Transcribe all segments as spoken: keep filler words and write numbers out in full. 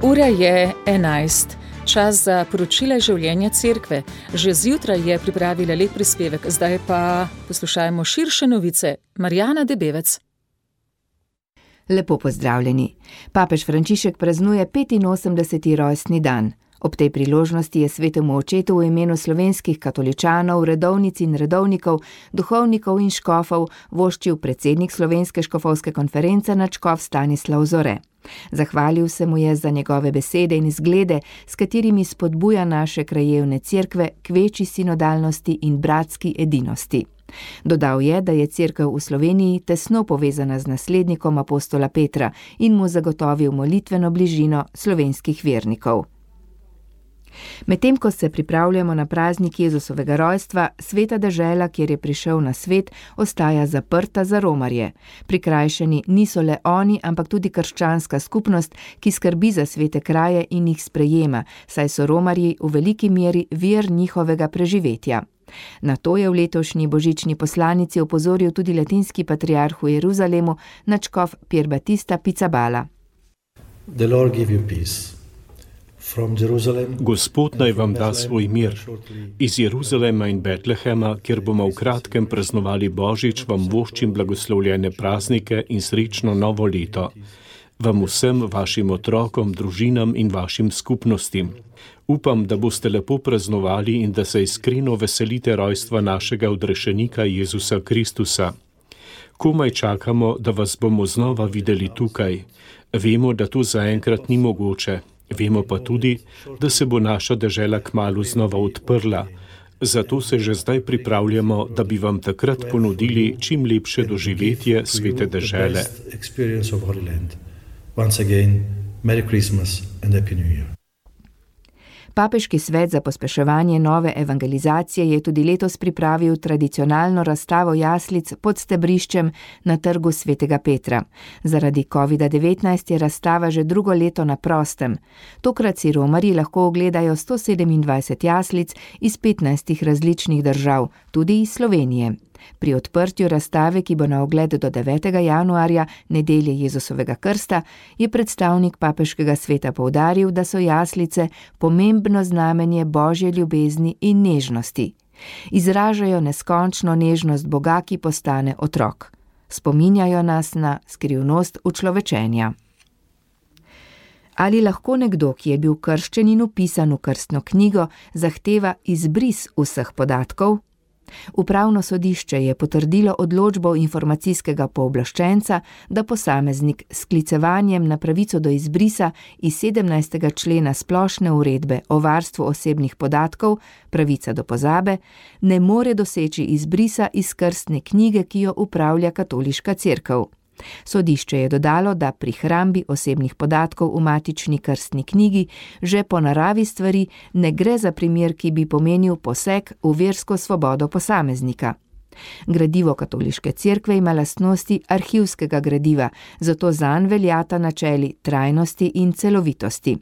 Ura je enajst. Čas za poročila življenja cerkve. Že zjutraj je pripravila lep prispevek, zdaj pa poslušajmo širše novice. Marjana Debevec. Lepo pozdravljeni. Papež Frančišek praznuje petinosemdeseti rojstni dan. Ob tej priložnosti je svetemu očetu v imenu slovenskih katoličanov, redovnic in redovnikov, duhovnikov in škofov voščil predsednik Slovenske škofovske konference nadškof Stanislav Zore. Zahvalil se mu je za njegove besede in izglede, s katerimi spodbuja naše krajevne cerkve k večji sinodalnosti in bratski edinosti. Dodal je, da je cerkev v Sloveniji tesno povezana z naslednikom apostola Petra in mu zagotovil molitveno bližino slovenskih vernikov. Medtem ko se pripravljamo na praznik Jezusovega rojstva, sveta dežela, kjer je prišel na svet, ostaja zaprta za romarje. Prikrajšani niso le oni, ampak tudi krščanska skupnost, ki skrbi za svete kraje in jih sprejema, saj so romarji v veliki meri vir njihovega preživetja. Na to je v letošnji božični poslanici opozoril tudi latinski patriarh v Jeruzalemu, nadškof Pier Battista Pizzaballa. The Lord give you peace. Gospod naj vam da svoj mir. Iz Jeruzalema in Betlehema, kjer bomo v kratkem praznovali Božič, vam voščim blagoslovljene praznike in srečno novo leto. Vam vsem, vašim otrokom, družinam in vašim skupnostim. Upam, da boste lepo praznovali in da se iskreno veselite rojstva našega odrešenika Jezusa Kristusa. Komaj čakamo, da vas bomo znova videli tukaj. Vemo, da to zaenkrat ni mogoče. Vemo pa tudi, da se bo naša dežela kmalu znova odprla. Zato se že zdaj pripravljamo, da bi vam takrat ponudili čim lepše doživetje svete dežele. Once again, Merry Christmas and Happy New Year. Papeški svet za pospeševanje nove evangelizacije je tudi letos pripravil tradicionalno razstavo jaslic pod stebriščem na trgu svetega Petra. Zaradi kovida devetnajst je razstava že drugo leto na prostem. Tokrat si romarji lahko ogledajo sto sedemindvajset jaslic iz petnajstih različnih držav, tudi iz Slovenije. Pri odprtju razstave, ki bo na ogled do devetega januarja, nedelje Jezusovega krsta, je predstavnik papeškega sveta poudaril, da so jaslice pomembno znamenje Božje ljubezni in nežnosti. Izražajo neskončno nežnost Boga, ki postane otrok. Spominjajo nas na skrivnost učlovečenja. Ali lahko nekdo, ki je bil krščen in vpisan v krstno knjigo, zahteva izbris vseh podatkov? Upravno sodišče je potrdilo odločbo informacijskega pooblaščenca, da posameznik s sklicevanjem na pravico do izbrisa iz sedemnajstega člena splošne uredbe o varstvu osebnih podatkov, pravica do pozabe, ne more doseči izbrisa iz krstne knjige, ki jo upravlja katoliška cerkev. Sodišče je dodalo, da pri hrambi osebnih podatkov v matični krstni knjigi že po naravi stvari ne gre za primer, ki bi pomenil poseg v versko svobodo posameznika. Gradivo katoliške cerkve ima lastnosti arhivskega gradiva, zato zanj veljata načeli trajnosti in celovitosti.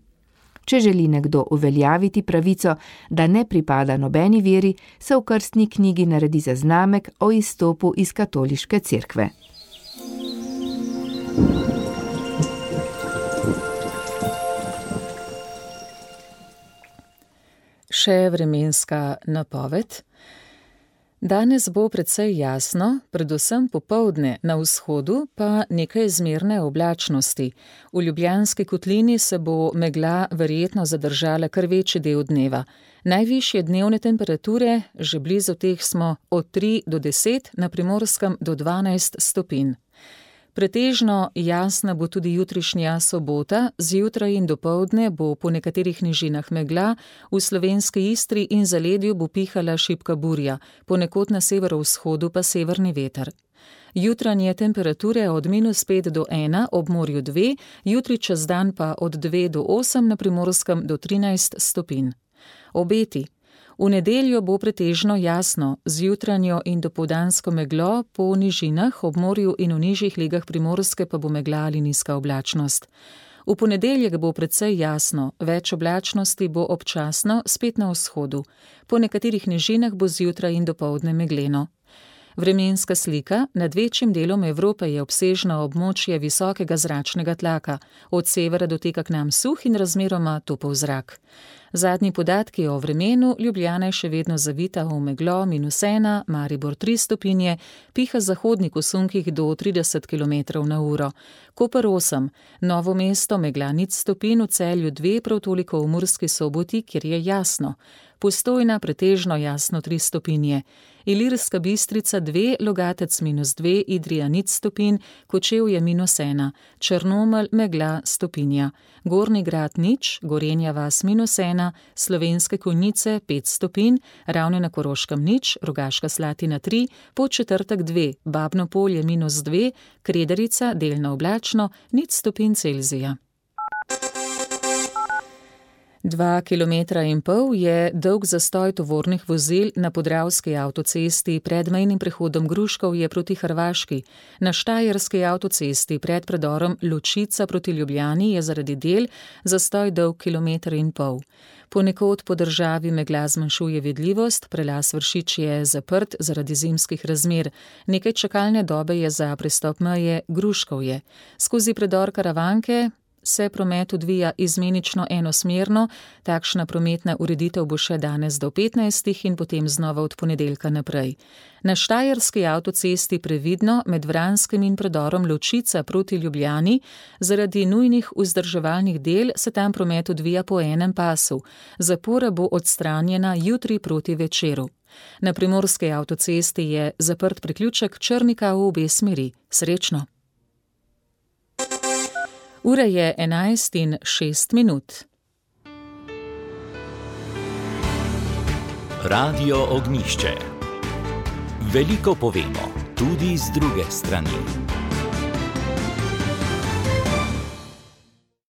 Če želi nekdo uveljaviti pravico, da ne pripada nobeni veri, se v krstni knjigi naredi zaznamek o izstopu iz katoliške cerkve. Še vremenska napoved. Danes bo precej jasno, predvsem popoldne na vzhodu pa nekaj zmerne oblačnosti. V Ljubljanski kotlini se bo megla verjetno zadržala kar večji del dneva. Najvišje dnevne temperature, že blizu teh smo od tri do deset, na Primorskem do dvanajst stopinj. Pretežno jasna bo tudi jutrišnja sobota, zjutraj in dopoldne bo po nekaterih nižinah megla, v slovenski Istri in zaledju bo pihala šibka burja, ponekod na severovzhodu pa severni veter. Jutranje temperature od minus pet do ena, ob morju dve, jutri čez dan pa od dve do osem, na Primorskem do trinajst stopinj. Obeti. V nedeljo bo pretežno jasno, z jutranjo in dopoldansko meglo, po nižinah, ob morju in v nižjih legah Primorske pa bo megla ali nizka oblačnost. V ponedeljek bo precej jasno, več oblačnosti bo občasno, spet na vzhodu. Po nekaterih nižinah bo zjutraj in dopoldne megleno. Vremenska slika: nad večjim delom Evrope je obsežno območje visokega zračnega tlaka, od severa doteka k nam suh in razmeroma topel zrak. Zadnji podatki o vremenu: Ljubljana je še vedno zavita v meglo, minus ena, Maribor tri stopinje, piha zahodnik v sunkih do trideset kilometrov na uro, Koper osem, Novo mesto megla nič stopinj, v Celju dve, prav toliko v Murski Soboti, kjer je jasno, Postojna pretežno jasno tri stopinje, Ilirska Bistrica dve, Logatec minus dve, Idrija nič stopinj, Kočevje minus ena, Črnomelj megla stopinja, Gornji Grad nič, Gorenja vas minus ena, Slovenske Konjice pet stopinj, Ravne na Koroškem nič, Rogaška Slatina tri, Podčetrtek dve, Babno Polje minus dve, Kredarica delno oblačno, nič stopinj Celzija. Dva kilometra in pol je dolg zastoj tovornih vozil na Podravski avtocesti pred mejnim prehodom Gruškovje proti Hrvaški. Na Štajerski avtocesti pred predorom Ločica proti Ljubljani je zaradi del zastoj dolg kilometer in pol. Ponekod po državi megla zmanjšuje vidljivost, prelaz Vršič je zaprt zaradi zimskih razmer. Nekaj čakalne dobe je za prestop meje Gruškovje. Skozi predor Karavanke se promet odvija izmenično enosmerno, takšna prometna ureditev bo še danes do petnajstih in potem znova od ponedeljka naprej. Na Štajerski avtocesti previdno med Vranskim in predorom Ločica proti Ljubljani, zaradi nujnih vzdrževalnih del se tam promet odvija po enem pasu. Zapora bo odstranjena jutri proti večeru. Na Primorski avtocesti je zaprt priključek Črnika v obe smeri. Srečno! Ura je enajst in šest minut. Radio Ognjišče. Veliko povemo, tudi z druge strani.